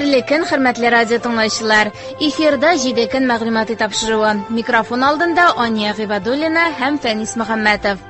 Хәерле көн, хөрмәтле радио тыңлаучылар. Эфирда 7 көн мәгълүмати тапшыруы. Микрофон алдында Ания Гыйбадуллина һәм Фәнис Мөхәммәтов.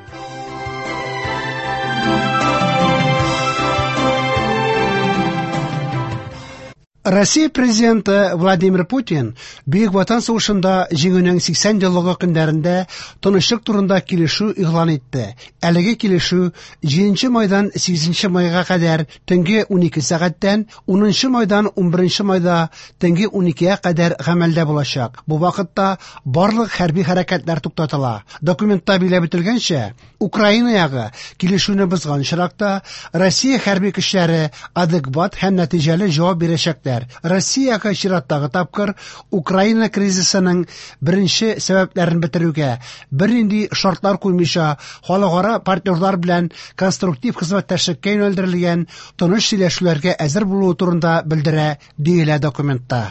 Россия президенты Владимир Путин Бөек Ватан сугышында җиңүнең 80 еллыгы көннәрендә тынычлык турында килешү игълан итте. Әлеге килешү 7 майдан 8 майга кадәр төнге 12 сәгатьтән 10 майдан 11 майда төнге 12-гә кадәр гамәлдә булачак. Бу вакытта барлык хәрби хәрәкәтләр туктатыла. Документта билгеләп үтелгәнчә, Украина ягы килешүне бозган очракта Россия хәрби көчләре адекват һәм нәтиҗәле җавап бирәчәкләр. Россия ягы чираттагы тапкыр Украина кризисының беренче сәбәпләрен бетерүгә бернинди шартлар куймыйча халыкара партнерлар белән конструктив хезмәттәшлеккә юнәлдерелгән тыныч сөйләшүләргә әзер булуы турында белдерә, диелә документта.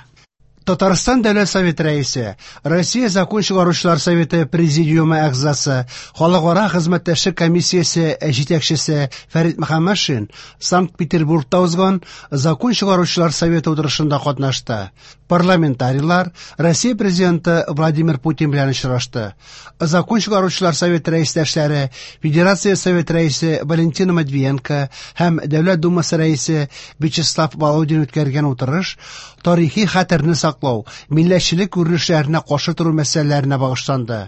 Татарстан Дәүләт Советы рәисе, Россия Закон чыгаручылар советы президиумы әгъзасы, Халыкара хезмәттәшлек комиссиясе җитәкчесе Фәрит Мөхәммәтшин Санкт-Петербургта узган Закон чыгаручылар советы утырышында катнашты. Парламентарийлар Россия президенты Владимир Путин белән очрашты. Закон чыгаручылар советы рәистәшләре, Федерация Советы рәисе Валентина Матвиенко һәм Дәүләт Думасы рәисе Вячеслав Володин үткәргән утырыш тарихи хәтерне саклау, милләтчелек күренешләренә каршы тору мәсьәләләренә багышланды.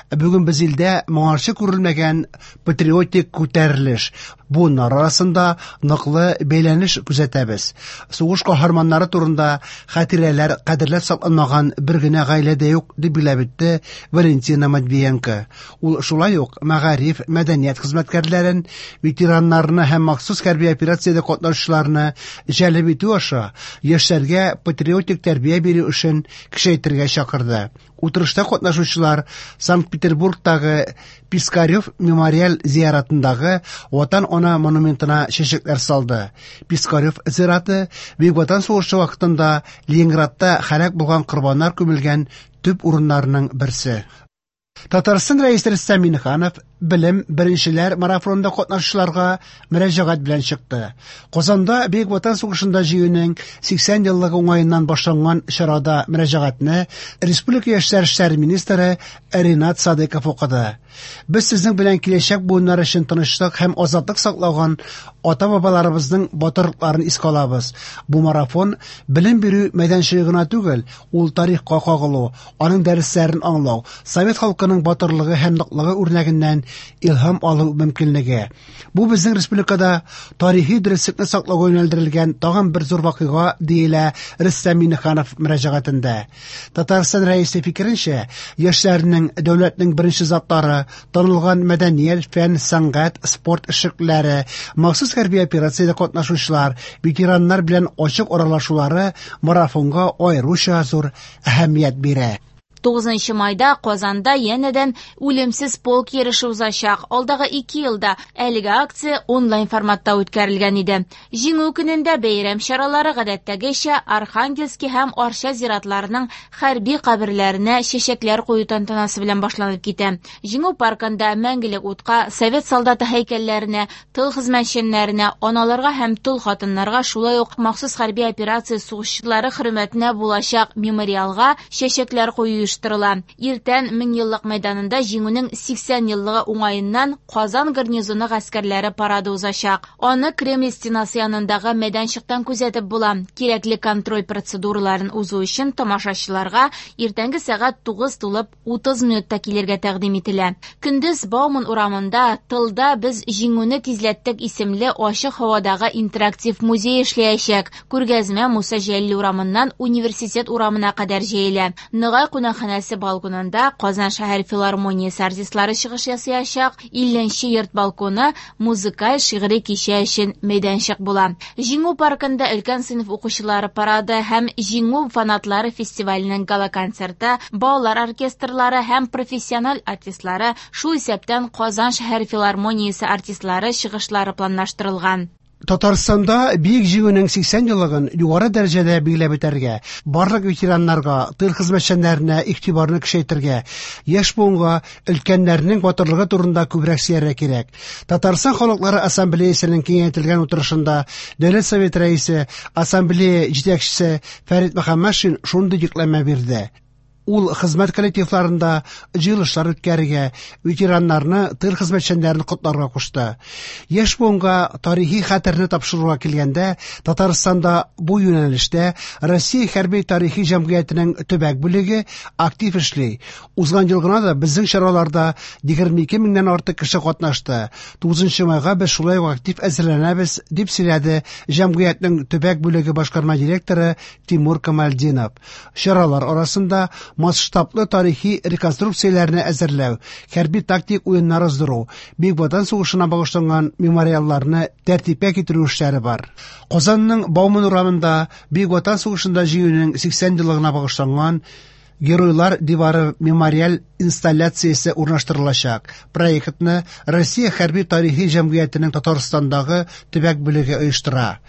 Бүген без илдә моңарчы күрелмәгән патриотик күтәрелеш, буыннар арасында ныклы бәйләнеш күзәтәбез. Сугыш каһарманнары турында хатирәләр кадерләп сакланмаган бер генә гаилә дә юк, дип билгеләп үтте Валентина Матвиенко. Ул шулай ук мәгариф, мәдәният хезмәткәрләрен, ветераннарны һәм махсус хәрби операциядә катнашучыларны җәлеп итү аша яшьләргә патриотик тәрбия бирү эшен көчәйтергә чакырды. Утырышта катнашучылар Санкт-Петербургтагы Пискарев мемориаль зиратындагы Ватан ана монументына чәчәкләр салды. Пискарев зираты Бөек Ватан сугышы вакытында Ленинградта һәлак булган корбаннар күмелгән төп урыннарның берсе. Татарстан рәисе Рөстәм Миңнеханов белем беренчеләр марафонында катнашучыларга мөрәҗәгать белән чыкты. Казанда Бөек Ватан сугышында җиңүнең 80 еллыгы уңаеннан башланган чарада мөрәҗәгатьне республика яшьләр эшләре министры Ринат Садыков укыды. Без сезнең белән киләчәк буыннар өчен тынычлык һәм азатлык саклаган ата-бабаларыбызның батырлыкларын искә алабыз. Бу марафон белем бирү мәйданчыгы гына түгел, ул тарихка кагылу, аның дәресләрен аңлау, совет халкының батырлыгы һәм ныклыгы үрнәгеннән илһам алу мөмкинлеге. Бу безнең республикада тарихи дөреслекне саклауга юнәлдерелгән тагын бер зур вакыйга, диелә Рөстәм Миңнеханов мөрәҗәгатендә. Татарстан рәисе фикеренчә, яшьләрнең дәүләтнең беренче затлары, танылган мәдәният, фән, сәнгать, спорт эшлеклеләре, махсус хәрби операциядә катнашучылар, ветераннар белән ачык аралашулары марафонга аеруча зур әһәмият бирә. 9 майда Казанда янәдән үлемсез полк йөреше узачак. Алдагы 2 елда әлеге акция онлайн форматта үткәрелгән иде. Җиңү көнендә бәйрәм чаралары гадәттәгечә Архангельский һәм Арча зиратларының хәрби каберләренә чәчәкләр кую тантанасы белән башланып китә. Җиңү паркында мәңгелек утка, совет солдаты һәйкәлләренә, тыл хезмәтчәннәренә, аналарга һәм тол хатыннарга, шулай ук махсус хәрби операция сугышчылары хөрмәтенә булачак мемориалга чәчәкләр кую оештырыла. Иртән Меңьеллык мәйданында Җиңүнең 80 еллыгы уңаеннан Казан гарнизоны гаскәрләре парады узачак. Аны Кремль стенасы янындагы мәйданчыктан күзәтеп була. Кирәкле контроль процедураларын узу өчен тамашачыларга иртәнге сәгать 9 тулып 30 минутта килергә тәкъдим ителә. Көндез Бауман урамында Тылда без җиңүне тизләттек исемле ачык һавадагы интерактив музей эшләячәк. Күргәзмә Муса Җәлил урамыннан Университет урамына кадәр җәелә. Ногай кунакханәсе балконында Казан шәһәр филармониясе артистлары чыгыш ясаячак. 50 йорт балконы музыкаль шигъри кичә өчен мәйданчык була. Җиңү паркында өлкән сыйныф укучылары парады һәм Җиңү фанатлары фестиваленең гала-концерты, балалар оркестрлары һәм профессиональ артистлары, шул исәптән Казан шәһәр филармониясе артистлары чыгышлары планлаштырылган. Татарстанда Бөек Җиңүнең 80 еллыгын югары дәрәҗәдә билгеләп үтәргә, барлык ветераннарга, тыл хезмәтчәннәренә игътибарны көчәйтергә, яшь буынга өлкәннәрнең батырлыгы турында күбрәк сөйләргә кирәк. Татарстан халыклары ассамблеясының киңәйтелгән утырышында Дәүләт Советы рәисе, ассамблея җитәкчесе Фәрит Мөхәммәтшин шундый йөкләмә бирде. Ул хезмәт коллективларында җыелышлар үткәрергә, ветераннарны, тыл хезмәтчәннәрен котларга кушты. Яшь буынга тарихи хәтерне тапшыруга килгәндә, Татарстанда бу юнәлештә Россия хәрби тарихи җәмгыятенең төбәк бүлеге актив эшли. Узган ел гына да безнең чараларда 22 меңнән артык кеше катнашты. 9 майга без шулай ук актив әзерләнәбез, дип сөйләде җәмгыятьнең төбәк бүлеге башкарма директоры Тимур Камальдинов. Чаралар арасында масштаблы тарихи реконструкцияләрне әзерләү, хәрби тактик уеннар уздыру, Бөек Ватан сугышына багышланган мемориалларны тәртипкә китерү эшләре бар. Казанның Бауман урамында Бөек Ватан сугышында җиңүнең 80 еллыгына багышланган Геройлар дивары мемориаль инсталляциясе урнаштырылачак. Проектны Россия хәрби тарихи җәмгыятенең Татарстандагы төбәк бүлеге оештыра.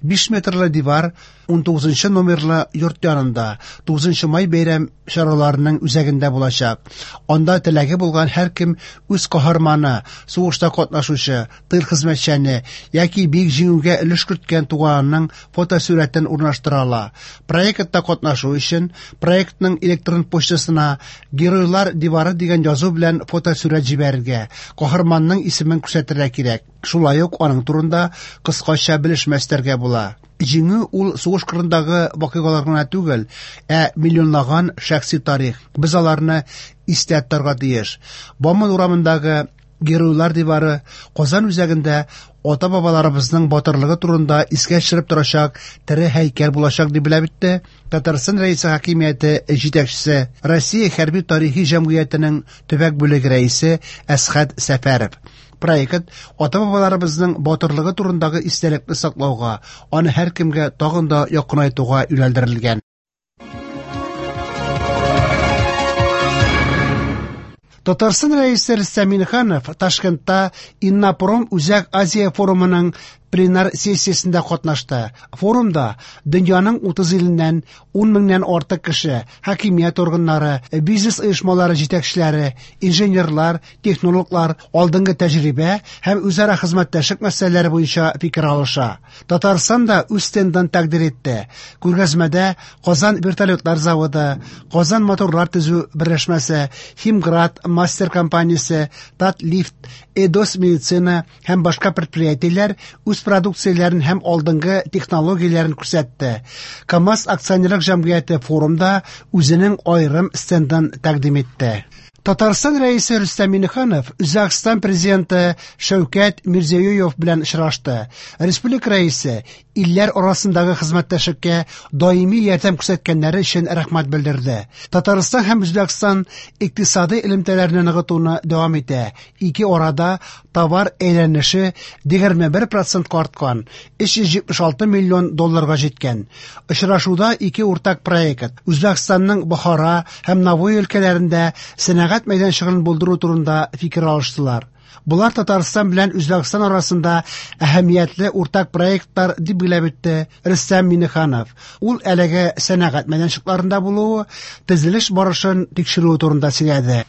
5 метрлы дивар 19 номерлы йорт янында 9 май бәйрәм чараларының үзәгендә булачак. Анда теләге булган һәркем үз каһарманы, сугышта катнашучы, тыл хезмәтчәне яки Бөек Җиңүгә өлеш керткән туганының фотосурәтен урнаштыра ала. Проектта катнашу өчен проектның электрон почтасына «Геройлар дивары» дигән язу белән фотосурәт җибәрергә, каһарманның исемен күрсәтергә кирәк. Шулай ук аның турында кыскача белешмә өстәргә була. Җиңү ул сугыш кырындагы вакыйгалар гына түгел, ә миллионлаган шәхси тарих. Без аларны истә тотарга тиеш. Бауман урамындагы Геройлар дивары Казан үзәгендә ата-бабаларыбызның батырлыгы турында искә төшереп торачак тере һәйкәл булачак дип белеп үтте Татарстан Рәисе хакимияте җитәкчесе, Россия хәрби тарихи җәмгыятенең төбәк бүлеге рәисе Әсхәт Сәфәров. Проект ата-бабаларыбызның батырлыгы турындагы истәлекне саклауга, аны һәркемгә тагын да якынайтуга юнәлдерелгән. Татарстан Рәисе Рөстәм Миңнеханов Ташкентта Иннопром Үзәк Азия форумының пленар сессиясендә катнашты. Форумда дөньяның 30 иленнән 10 меңнән артык кеше, хакимият органнары, бизнес оешмалары җитәкчеләре, инженерлар, технологлар алдынгы тәҗрибә һәм үзара хезмәттәшлек мәсьәләләре буенча фикер алыша. Татарстан да үз стендын тәкъдир итте. Күргәзмәдә Казан вертолетлар заводы, Казан моторлар төзү берләшмәсе, Химград мастер компаниясе, Татлифт, Эдос медицина һәм башка предприятиеләр үз продукцияләрен һәм алдынгы технологияләрен күрсәтте. КАМАЗ акционерлык җәмгыяте форумда үзенең аерым стендын тәкъдим итте. Татарстан Рәисе Рөстәм Миңнеханов Үзбәкстан президенты Шәүкәт Мирзиёев белән очрашты. Республика рәисе илләр арасындагы хезмәттәшлеккә даими ярдәм күрсәткәннәре өчен рәхмәт белдерде. Татарстан һәм Үзбәкстан икътисади элемтәләрне ныгытуны дәвам итә. Ике арада товар әйләнеше 21% арткан, 376 миллион долларга җиткән. Очрашуда ике уртак проект Үзбәкстанның Бохара һәм Навои өлкәләрендә сәнәгать мәйданчыгын булдыру турында фикер алыштылар. Булар Татарстан белән Үзбәкстан арасында әһәмиятле уртак проектлар дип билгеләп үтте Рөстәм Миңнеханов. Ул әлеге сәнәгать мәйданчыкларында булуы, төзелеш барышын тикшерүе турында сөйләде.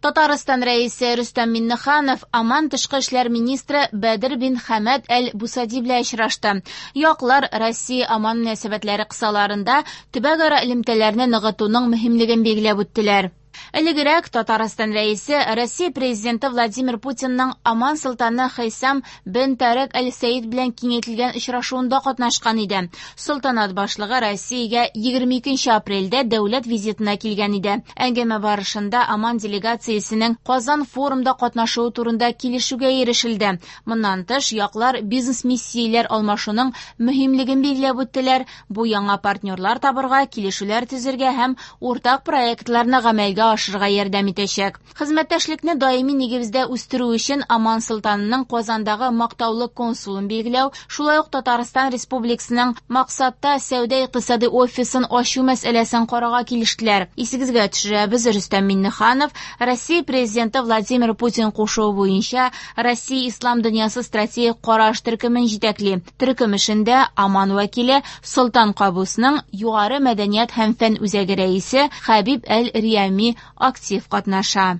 Татарстан Рәисе Рөстәм Миңнеханов Оман тышкы эшләр министры Бәдер бин Хәмәд әл-Бусади белән очрашты. Яклар Россия-Оман мөнәсәбәтләре кысаларында төбәкара элемтәләрне ныгытуның мөһимлеген билгеләп үттеләр. Элегрәк Татарстан Рәисе Россия Президенты Владимир Путинның Оман солтаны Хәйсам бен Тарек әл-Сәид белән киңәйтелгән очрашуында катнашкан иде. Солтанат башлыгы Россиягә 22 апрельдә дәүләт визитына килгән иде. Әңгәмә барышында Оман делегациясенең Казан форумда катнашуы турында килешүгә ирешелде. Моннан тыш, яклар бизнес-миссияләр алмашуның мөһимлеген билгеләп үттеләр. Бу яңа партнерлар табырга, килешүләр төзергә һәм уртак проектларны гамәлгә формалашырга ярдәм итәчәк. Хезмәттәшлекне даими нигездә үстерү өчен Оман солтанының Казандагы мактаулы консулын билгеләү, шулай ук Татарстан Республикасының максатта сәүдә-икътисади офисын ачу мәсьәләсен карарга килештеләр. Исегезгә төшерәбез, Рөстәм Миңнеханов Россия Президенты Владимир Путин кушуы буенча Россия Ислам дөньясы стратегик караш төркемен җитәкли. Төркем эшендә Оман вәкиле Солтан Кабусның Югары мәдәният һәм фән үзәге рәисе Хәбиб Әл-Риями актив катнаша.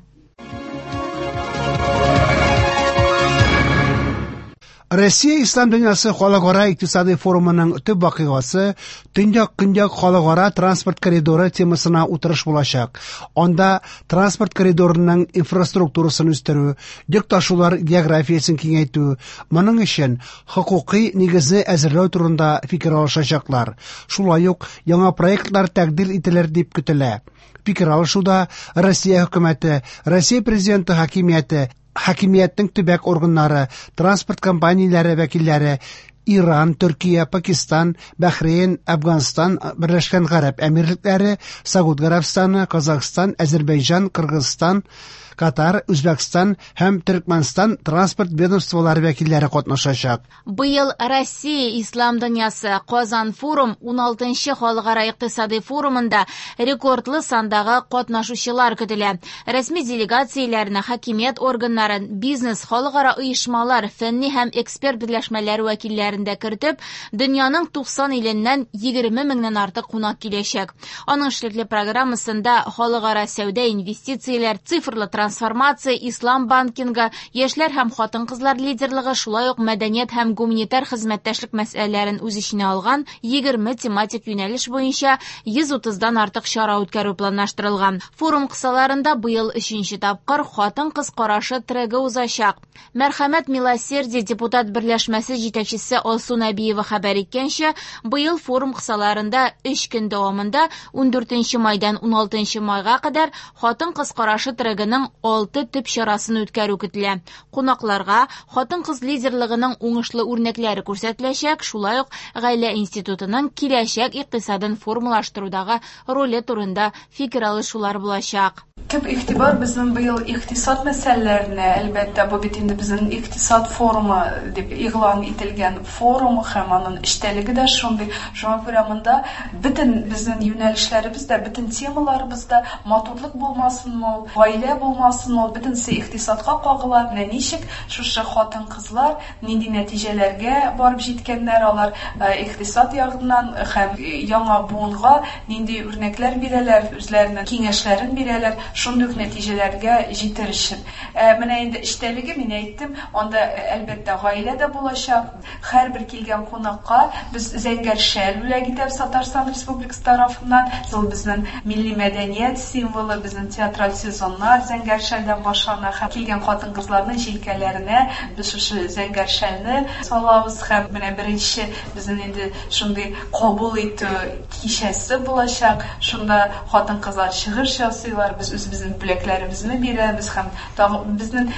Россия Ислам дөньясы халыкара икътисади форумының төп вакыйгасы Төньяк-Көньяк халыкара транспорт коридоры темасына утырыш булачак. Анда транспорт коридорының инфраструктурасын үстерү, йөк ташулар географиясен киңәйтү, моның өчен хокукый нигезне әзерләү турында фикер алышачаклар. Шулай ук яңа проектлар тәкъдир ителер дип көтелә. Фикер алышуда Россия хөкүмәте, Россия президенты хакимияте, хакимиятнең төбәк органнары, транспорт компанияләре вәкилләре, Иран, Төркия, Пакистан, Бәхрейн, Әфганстан, Берләшкән Гарәп Әмирлекләре, Сауд Гарәбстаны, Казахстан, Әзербайҗан, Кыргызстан, Катар, Үзбәкстан һәм Төркмәнстан транспорт ведомстволары вәкилләре катнашачак. Быел Россия Ислам дөньясы Казан форум 16нчы халыкара икътисади форумында рекордлы сандагы катнашучылар көтелә. Рәсми делегацияләрне, хакимият органнарын, бизнес, халыкара оешмалар, фәнни һәм эксперт берләшмәләре вәкилләрен дә кертеп, дөньяның 90 иленнән 20 меңнән артык кунак киләчәк. Аның эшлекле программасында халыкара сәүдә, инвестицияләр, цифрлы трансформация, ислам банкингы, яшьләр һәм хатын-кызлар лидерлыгы, шулай ук мәдәният һәм гуманитар хезмәттәшлек мәсьәләләрен үз эченә алган 20 тематик юнәлеш буенча 130-дан артык чара үткәрү планлаштырылган. Форум кысаларында быел 3нче тапкыр хатын-кыз карашы трегы узачак. Мәрхәмәт Милосердие депутат берләшмәсе җитәкчесе Алсу Нәбиева хәбәр иткәнчә, быел форум кысаларында 3 көн дәвамында 14 майдан 16 майга кадәр хатын-кыз карашы трегының 6 төп чарасын үткәрү көтелә. Кунакларга хатын-кыз лидерлыгының уңышлы үрнәкләре күрсәтеләчәк, шулай ук гаилә институтының киләчәк икътисадын формалаштырудагы роле турында фикер алышулар булачак. Төп игътибар безнең быел икътисад мәсьәләләренә, әлбәттә, бу бит инде безнең икътисад форумы дип игълан ителгән форум һәм аның эчтәлеге дә шундый. Шуңа күрә монда бөтен безнең юнәлешләребез дә, бөтен темаларыбыз да матурлык булмасынмы ул, гаилә булмасынмы ул, бөтенесе икътисадка кагыла. Менә ничек шушы хатын-кызлар нинди нәтиҗәләргә барып җиткәннәр алар икътисад ягыннан һәм яңа буынга нинди үрнәкләр бирәләр, үзләренең киңәшләрен бирәләр, шундый ук нәтиҗәләргә җитер өчен. Менә инде эчтәлеге, мин әйттем, анда әлбәттә гаилә дә булачак. Һәрбер килгән кунакка без зәңгәр шәл бүләк итәбез Татарстан Республикасы тарафыннан. Ул безнең милли мәдәният символы, безнең театраль сезоннар зәңгәр шәлдән башлана. Һәм килгән хатын-кызларның җилкәләренә без шушы зәңгәр шәлне салабыз. Һәм менә беренче безнең инде шундый кабул итү кичәсе булачак. Шунда хатын-кызлар чыгыш ясыйлар, без үзебезнең бүләкләребезне бирәбез һәм тагы безнең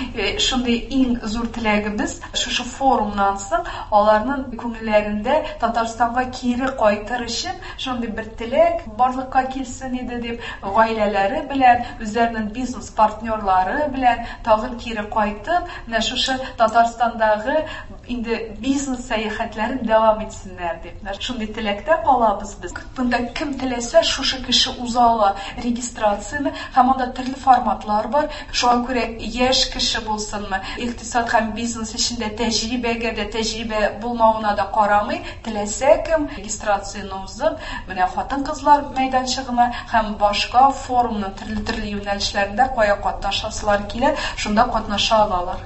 шундый иң зур теләгебез шушы форумнан соң аларның күңелләрендә Татарстанга кире кайтыр өчен шундый бер теләк барлыкка килсен иде дип, гаиләләре белән, үзләренең бизнес партнерлары белән тагын кире кайтып, менә шушы Татарстандагы инде бизнес сәяхәтләрен дәвам итсеннәр дип. Менә шундый теләктә калабыз без. Монда кем теләсә, шушы кеше уза ала регистрацияне, һәм анда төрле форматлар бар. Шуңа күрә яшь кеше булсынмы, икътисад һәм бизнес эчендә тәҗрибәгә дә, тәҗрибә булмавына да карамый, теләсә кем регистрацияне узып, менә хатын-кызлар мәйданчыгына һәм башка форумның төрле-төрле юнәлешләрендә кая катнашасылар килә, шунда катнаша алалар.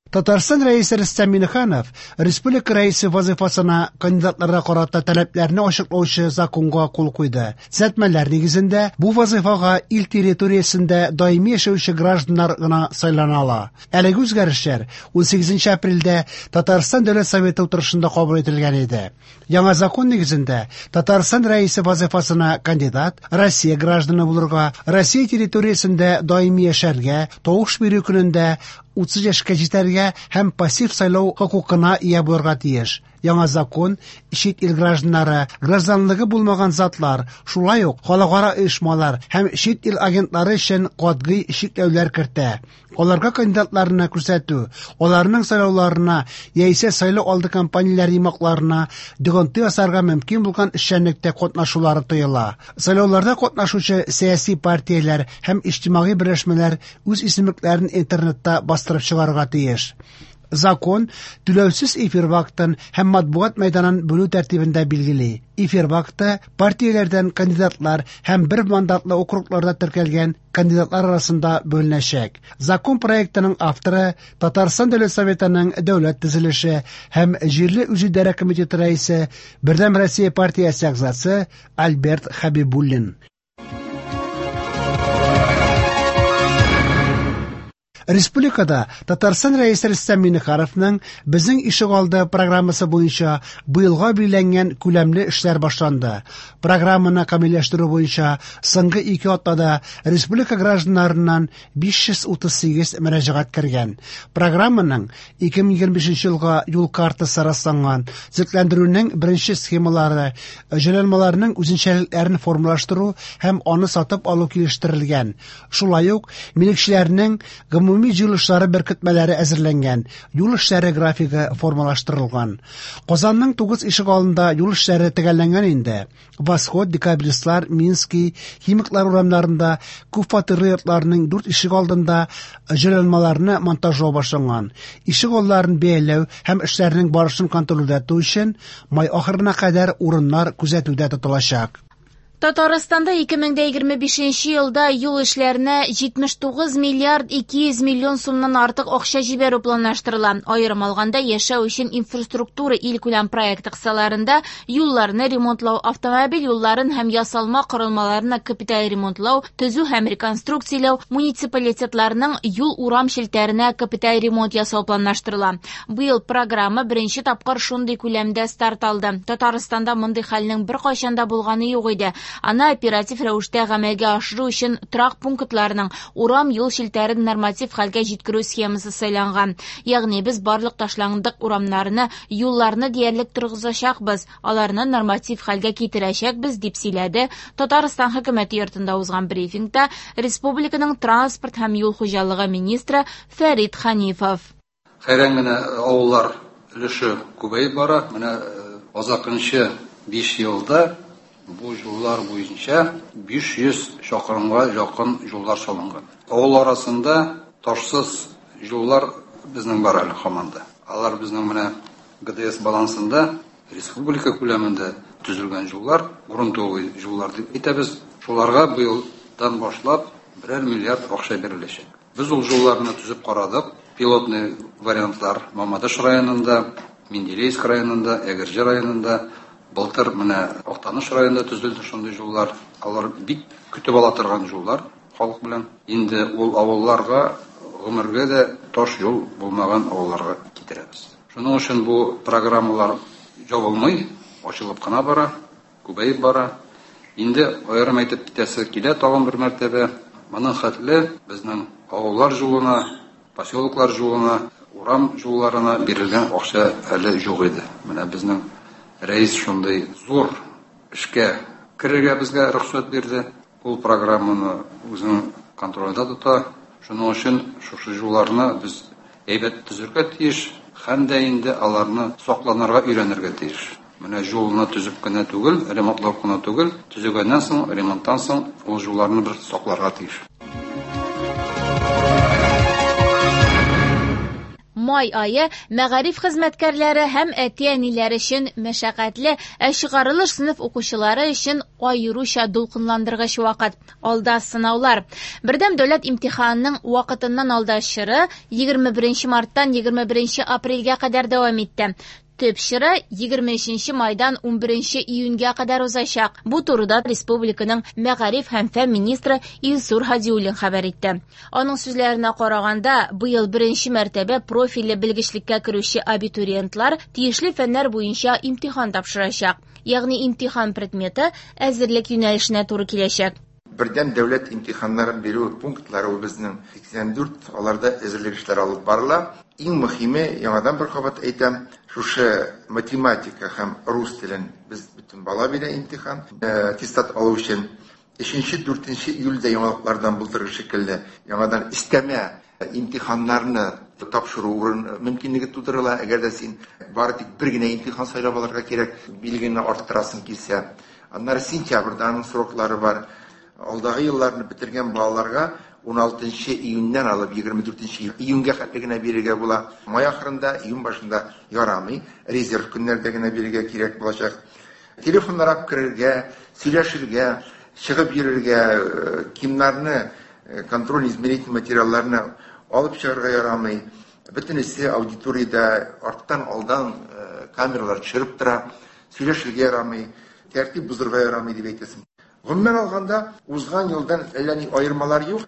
Татарстан Рәисе Рөстәм Миңнеханов республика рәисе вазифасына кандидатларга карата таләпләрне ачыклаучы законга кул куйды. Төзәтмәләр нигезендә бу вазифага ил территориясендә даими яшәүче гражданнар гына сайлана ала. Әлеге үзгәрешләр 18 апрельдә Татарстан Дәүләт Советы утырышында кабул ителгән иде. Яңа закон нигезендә Татарстан рәисе вазифасына кандидат Россия гражданы булырга, Россия территориясендә даими яшәргә, тавыш бирү көнендә 30 яшькә җитәргә һәм пассив сайлау хокукына ия булырга тиеш. Яңа закон чит ил гражданнары, гражданлыгы булмаган затлар, шулай ук халыкара оешмалар һәм чит ил агентлары өчен катгый чикләүләр кертә. Аларга кандидатларны күрсәтү, аларның сайлауларына яисә сайлау алды кампанияләре йомгакларына йогынты ясарга мөмкин булган эшчәнлектә катнашулары тыела. Сайлауларда катнашучы сәяси партияләр һәм иҗтимагый берләшмәләр үз исемлекләрен интернетта бастырып чыгарырга тиеш. Закон түләүсез эфир вакытын һәм матбугат мәйданын бүлү тәртибен дә билгели. Эфир вакыты партияләрдән кандидатлар һәм бер мандатлы округларда теркәлгән кандидатлар арасында бүленәчәк. Закон проектының авторы Татарстан Дәүләт Советының Дәүләт төзелеше һәм җирле үзидарә комитеты рәисе, Бердәм Россия партиясе әгъзасы Альберт Хәбибуллин. Республикада Татарстан Рәисе Рөстәм Миңнехановның Безнең ишегалды программасы буенча быелга билгеләнгән күләмле эшләр башланды. Программаны камилләштерү буенча соңгы ике атнада республика гражданнарыннан 538 мөрәҗәгать кергән. Программаның 2025 елга юл картасы расланган. Төзекләндерүнең беренче схемалары, җайланмаларның үзенчәлекләрен формалаштыру һәм аны сатып алу килештерелгән. Шулай ук милекчеләрнең гомуми җыелышлары беркетмәләре әзерләнгән, юл эшләре графигы формалаштырылган. Казанның 9 ишегалдында юл эшләре төгәлләнгән инде. Восход, Декабристлар, Минский, Химиклар урамнарында күп фатирлы йортларның 4 ишегалдында җайланмаларны монтажлау башланган. Ишегалларын бәяләү һәм эшләрнең барышын контрольдә тоту өчен май ахырына кадәр урыннар күзәтүдә тотылачак. Татарстанда 2025 елда юл эшләренә 79 миллиард 200 миллион сумнан артык акча җибәрү планлаштырыла. Аерым алганда, яшәү өчен инфраструктура илкүләм проекты кысаларында юлларны ремонтлау, автомобиль юлларын һәм ясалма корылмаларны капиталь ремонтлау, төзү һәм реконструкцияләү, муниципалитетларның юл-урам челтәренә капиталь ремонт ясау планлаштырыла. Быел программа беренче тапкыр шундый күләмдә старт алды. Татарстанда мондый хәлнең беркайчан да булганы юк иде. Аны оператив рәвештә гамәлгә ашыру өчен торак пунктларының урам юл челтәрен норматив хәлгә җиткерү схемасы сайланган. Ягъни без барлык ташландык урамнарны, юлларны диярлек торгызачакбыз, аларны норматив хәлгә китерәчәкбез, дип сөйләде Татарстан хөкүмәте йортында узган брифингта республиканың транспорт һәм юл хуҗалыгы министры Фәрит Ханифов. Хәйран генә авыллар өлеше күбәеп бара. Менә азакынчы 5 елда бу юллар буенча 500 чакрымга якын юллар салынган. Авыл арасында ташсыз юллар безнең бар әле һаман да. Алар безнең менә ГДС балансында республика күләмендә төзелгән юллар, грунтовый юллар дип әйтәбез. Шуларга быелдан башлап берәр миллиард акча биреләчәк. Без ул юлларны төзеп карадык. Пилотный вариантлар Мамадыш районында, Менделеевск районында, Әгерҗе районында, былтыр менә Актаныш районында төзелде шундый юллар. Алар бик көтеп ала торган юллар халык белән. Инде ул авылларга гомергә дә таш юл булмаган авылларга китерәбез. Шуның өчен бу программалар ябылмый, ачылып кына бара, күбәеп бара. Инде аерым әйтеп китәсе килә тагын бер мәртәбә. Моның хәтле безнең авыллар юлына, поселоклар юлына, урам юлларына бирелгән акча әле юк иде. Менә безнең рәис шундый зур эшкә керергә безгә рөхсәт бирде. Ул программаны үзенең контролендә тота. Шуның өчен шушы юлларны без әйбәт төзергә тиеш, һәм дә инде аларны сакланырга өйрәнергә тиеш. Менә юлны төзеп кенә түгел, ремонтлап кына түгел, төзегәннән соң, ремонттан соң ул юлларны бер сакларга тиеш. Май ае мәгариф хезмәткәрләре һәм әти-әниләр өчен мәшәкатьле, ә чыгарылыш сыйныф укучылары өчен аеруча дулкынландыргыч вакыт. Алда сынаулар. Бердәм дәүләт имтиханының вакытыннан алда чоры 21 марттан 21 апрельгә кадәр дәвам итте. Төп чоры 23 майдан 11 июньгә кадәр узачак. Бу турыда республиканың мәгариф һәм фән министры Илсур Һадиуллин хәбәр итте. Аның сүзләренә караганда, быел беренче мәртәбә профильле белгечлеккә керүче абитуриентлар тиешле фәннәр буенча имтихан тапшырачак. Ягъни имтихан предметы әзерлек юнәлешенә туры киләчәк. Бердәм дәүләт имтиханнарын бирү пунктлары безнең 84, аларда әзерлек эшләре алып барыла. Иң мөһиме, яңадан бер кабат әйтәм, шушы математика һәм рус телен без бөтен бала бирә имтихан, аттестат алу өчен. 3-4 июльдә яңалыклардан булдырыр шикелле, яңадан өстәмә имтиханнарны тапшыру урын мөмкинлеге тудырыла. Әгәр дә син бары тик бер генә имтихан сайлап алырга кирәк, билгене арттырасың килсә. Аннары сентябрьдә аның сроклары бар. Алдагы елларны бетергән балаларга 16 июньнән алып 24 июньгә хәтле генә бирергә була. Май ахырында, июнь башында ярамый, резерв көннәрдә генә бирергә кирәк булачак. Телефоннар алып керергә, сөйләшергә, чыгып йөрергә, кимнарны, контроль измерительный материалларны алып чыгарга ярамый. Бөтенесе аудиториядә арттан алдан камералар төшереп тора, сөйләшергә ярамый, тәртип бозырга ярамый дип әйтәсең. Гомумән алганда, узган елдан әллә ни аермалар юк.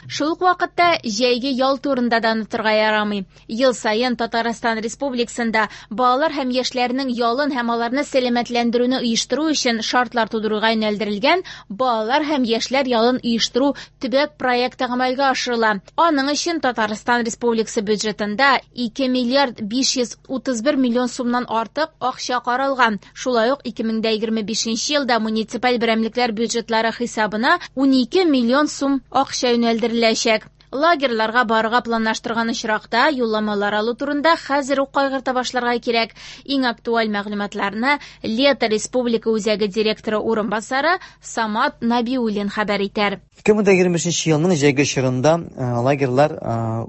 Шул ук вакытта җәйге ял турында да онытырга ярамый. Ел саен Татарстан Республикасында балалар һәм яшьләрнең ялын һәм аларны сәламәтләндерүне оештыру өчен шартлар тудыруга юнәлдерелгән балалар һәм яшьләр ялын оештыру төбәк проекты гамәлгә ашырыла. Аның өчен Татарстан Республикасы бюджетында 2 миллиард 531 миллион сумнан артык акча каралган. Шулай ук 2025 елда муниципаль берәмлекләр бюджетлары хисабына 12 миллион сум акча юнәлдереләчәк. Лагерьларга барырга планлаштырган очракта юлламалар алу турында хәзер үк кайгырта башларга кирәк. Иң актуаль мәгълүматларны Лето Республика үзәге директоры урынбасары Самат Набиуллин хәбәр итәр. 2025 елның җәйге чорында лагерьлар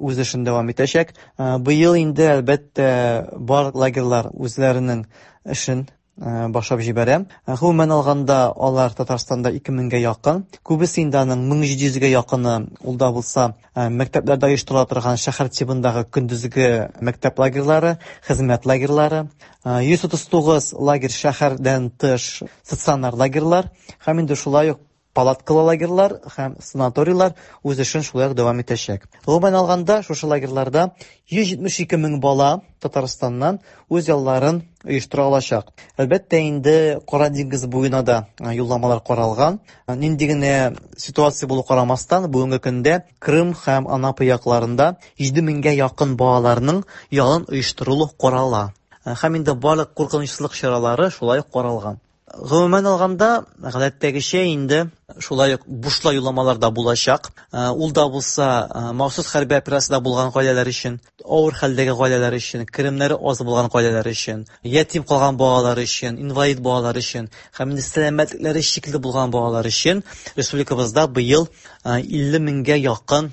үз эшен дәвам итәчәк. Быел инде әлбәттә барлык лагерьлар үзләренең эшен башлап җибәрә. Гомумән алганда, алар Татарстанда 2000гә якын. Күбесе инде аның 1700гә якыны ул да булса мәктәпләрдә оештырыла торган шәһәр тибындагы көндезге мәктәп лагерьлары, хезмәт лагерьлары, 139 лагерь шәһәрдән тыш стационар лагерьлар һәм инде шулай ук палаткалы лагерьлар һәм санаторийлар үз эшен шулай ук дәвам итәчәк. Гомумән алганда, шушы лагерьларда 172 мең бала Татарстаннан үз ялларын оештыра алачак. Әлбәттә, инде Кара диңгез буена да юлламалар каралган. Нинди генә ситуация булу карамастан, бүгенге көндә Крым һәм Анапа якларында 7 меңгә якын балаларның ялын оештырылу карала. Һәм инде барлык куркынычсызлык чаралары шулай ук каралган. Гомумән алганда, гадәттәгечә инде шулай ук бушлай юлламалар да булачак. Ул да булса махсус хәрби операциядә булган гаиләләр өчен, авыр хәлдәге гаиләләр өчен, керемнәре аз булган гаиләләр өчен, ятим калган балалар өчен, инвалид балалар өчен һәм инде сәламәтлекләре шикле булган балалар өчен республикабызда быел 50 меңгә якын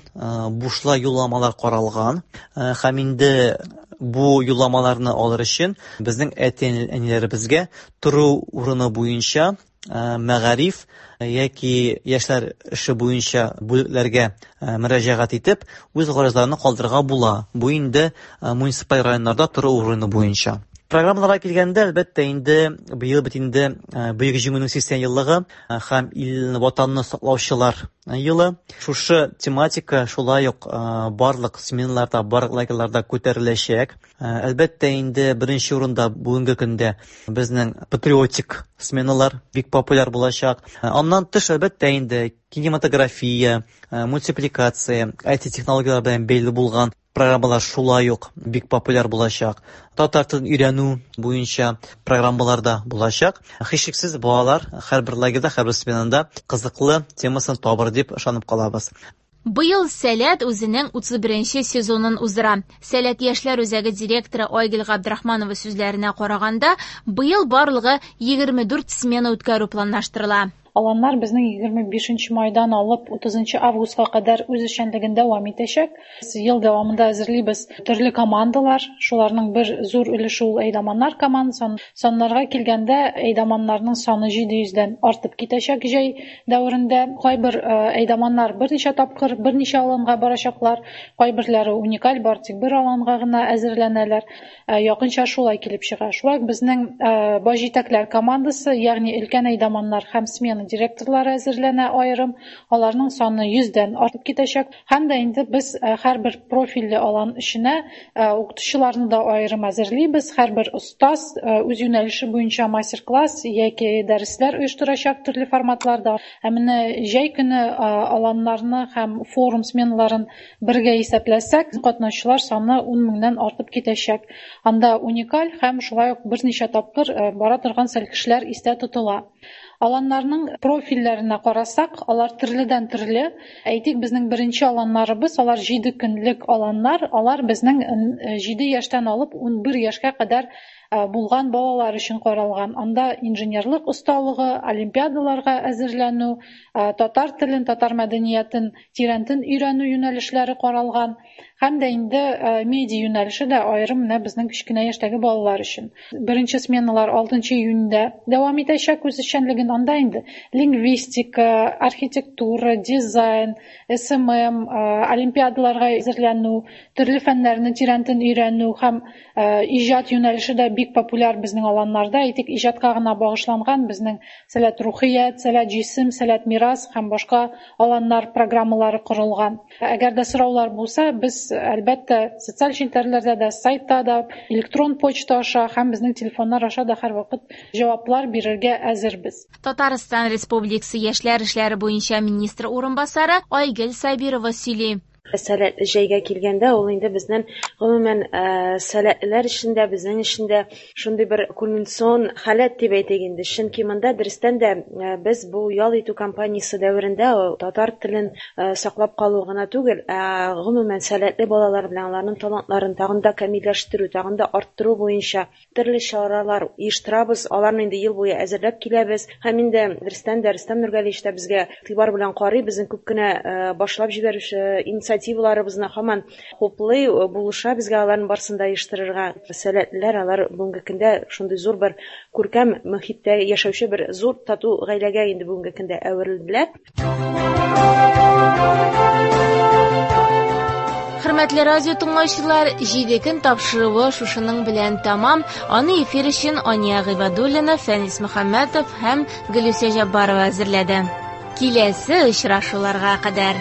бушлай юлламалар каралган. Һәм инде бу юлламаларны алыр өчен безнең әти-әниләребезгә тору урыны буенча мәгариф яки яшьләр эше буенча бүлекләргә мөрәҗәгать итеп, үз гаризаларны калдырырга була. Бу инде муниципаль районнарда тору урыны буенча. Программаларга килгәндә, әлбәттә, инде быел бит инде Бөек Җиңүнең 80 еллыгы һәм ил ватанны саклаучылар елы. Шушы тематика шулай ук барлык сменаларда, барлык лагерьларда күтәреләчәк. Әлбәттә, инде беренче урында бүгенге көндә безнең патриотик сменалар бик популяр булачак. Аннан тыш, әлбәттә, инде кинематография, мультипликация, IT-технологияләр белән бәйле булган программалар шулай ук бик популяр булачак. Татар телен өйрәнү буенча программалар да булачак. Һичшиксез балалар һәрбер лагерьда, һәрбер сменада кызыклы темасын табыр дип ышанып калабыз. Быел Сәләт үзенең 31 сезонын уздыра. Сәләт яшьләр үзәге директоры Айгөл Габдрахманова сүзләренә караганда, быел барлыгы 24 смена үткәрү планлаштырыла. Аланнар безнең 25 майдан алып 30 августка кадәр үз эшчәнлеген дәвам итәчәк. Без ел дәвамында әзерлибез төрле командалар, шуларның бер зур өлеше ул әйдаманнар командасы. Саннарга килгәндә, әйдаманнарның саны 700дән артып китәчәк җәй дәверендә. Кайбер әйдаманнар берничә тапкыр, берничә аланга барачаклар, кайберләре уникаль, бар тик бер аланга гына әзерләнәләр. Якынча шулай килеп чыга. Шулай ук безнең баш җитәкләр командасы, ягъни өлкән әйдаманнар һәм смена балаларның директорлары әзерләнә аерым. Аларның саны 100дән артып китәчәк. Һәм дә инде без һәрбер профильле алан эшенә укытучыларны да аерым әзерлибез. Һәрбер остаз үз юнәлеше буенча мастер-класс яки дәресләр оештырачак төрле форматларда. Ә менә җәй көне аланнарны һәм форум сменаларын бергә исәпләсәк, катнашучылар саны 10 меңнән артып китәчәк. Анда уникаль һәм шулай ук берничә тапкыр бара торган сәлкешләр истә тотыла. Аланнарның профильләренә карасак, алар төрледән төрле. Әйтик, безнең беренче аланнарыбыз, алар 7 көнлек аланнар, алар безнең 7 яшьтән алып 11 яшькә кадәр булган балалар өчен каралган. Анда инженерлык осталыгы, олимпиадаларга әзерләнү, татар телен, татар мәдәниятен тирәнтен өйрәнү юнәлешләре каралган. Һәм дә инде медиа юнәлеше дә аерым менә безнең кечкенә яшьтәге балалар өчен. Беренче сменалар 6 июньдә дәвам итәчәк үз эшчәнлеген. Анда инде лингвистика, архитектура, дизайн, СММ, олимпиадаларга әзерләнү, төрле фәннәрне тирәнтен өйрәнү һәм иҗат юнәлеше дә бик популяр безнең аланнарда. Әйтик, иҗатка гына багышланган безнең Сәләт рухият, Сәләт җисем, Сәләт мирас һәм башка аланнар программалары корылган. Әгәр дә сораулар булса, без әлбәттә социаль челтәрләрдә дә, сайтта да, электрон почта аша һәм безнең телефоннар аша да һәрвакыт җаваплар бирергә әзербез. Татарстан Республикасы яшьләр эшләре буенча министр урынбасары Айгөл Сабирова сөйли. Сәләтле җәйгә килгәндә, ул инде безнең гомумән сәләтлеләр өчен дә, безнең өчен дә шундый бер кульминацион халәт дип әйтик инде. Чөнки монда дөрестән дә без бу ял итү кампаниясе дәверендә татар телен саклап калу гына түгел, ә гомумән сәләтле балалар белән аларның талантларын тагын да камилләштерү, тагын да арттыру буенча төрле чаралар оештырабыз. Аларны инде ел буе әзерләп киләбез. Һәм инде дөрестән дә Рөстәм Нургалиевич та безгә игътибар белән карый, безнең күп кенә башлап җибәрүче инициативаларыбызны һаман хуплый, булыша безгә аларның барысын да оештырырга. Сәләтлеләр алар бүгенге көндә шундый зур бер күркәм мөхиттә яшәүче бер зур тату гаиләгә инде бүгенге көндә әверелделәр. Хөрмәтле радио тыңлаучылар, 7 көн тапшыруы шушының белән тәмам. Аны эфир өчен Ания Гыйбадуллина, Фәнис Мөхәммәтов һәм Гөлүсә Җаббарова әзерләде. Киләсе очрашуларга кадәр.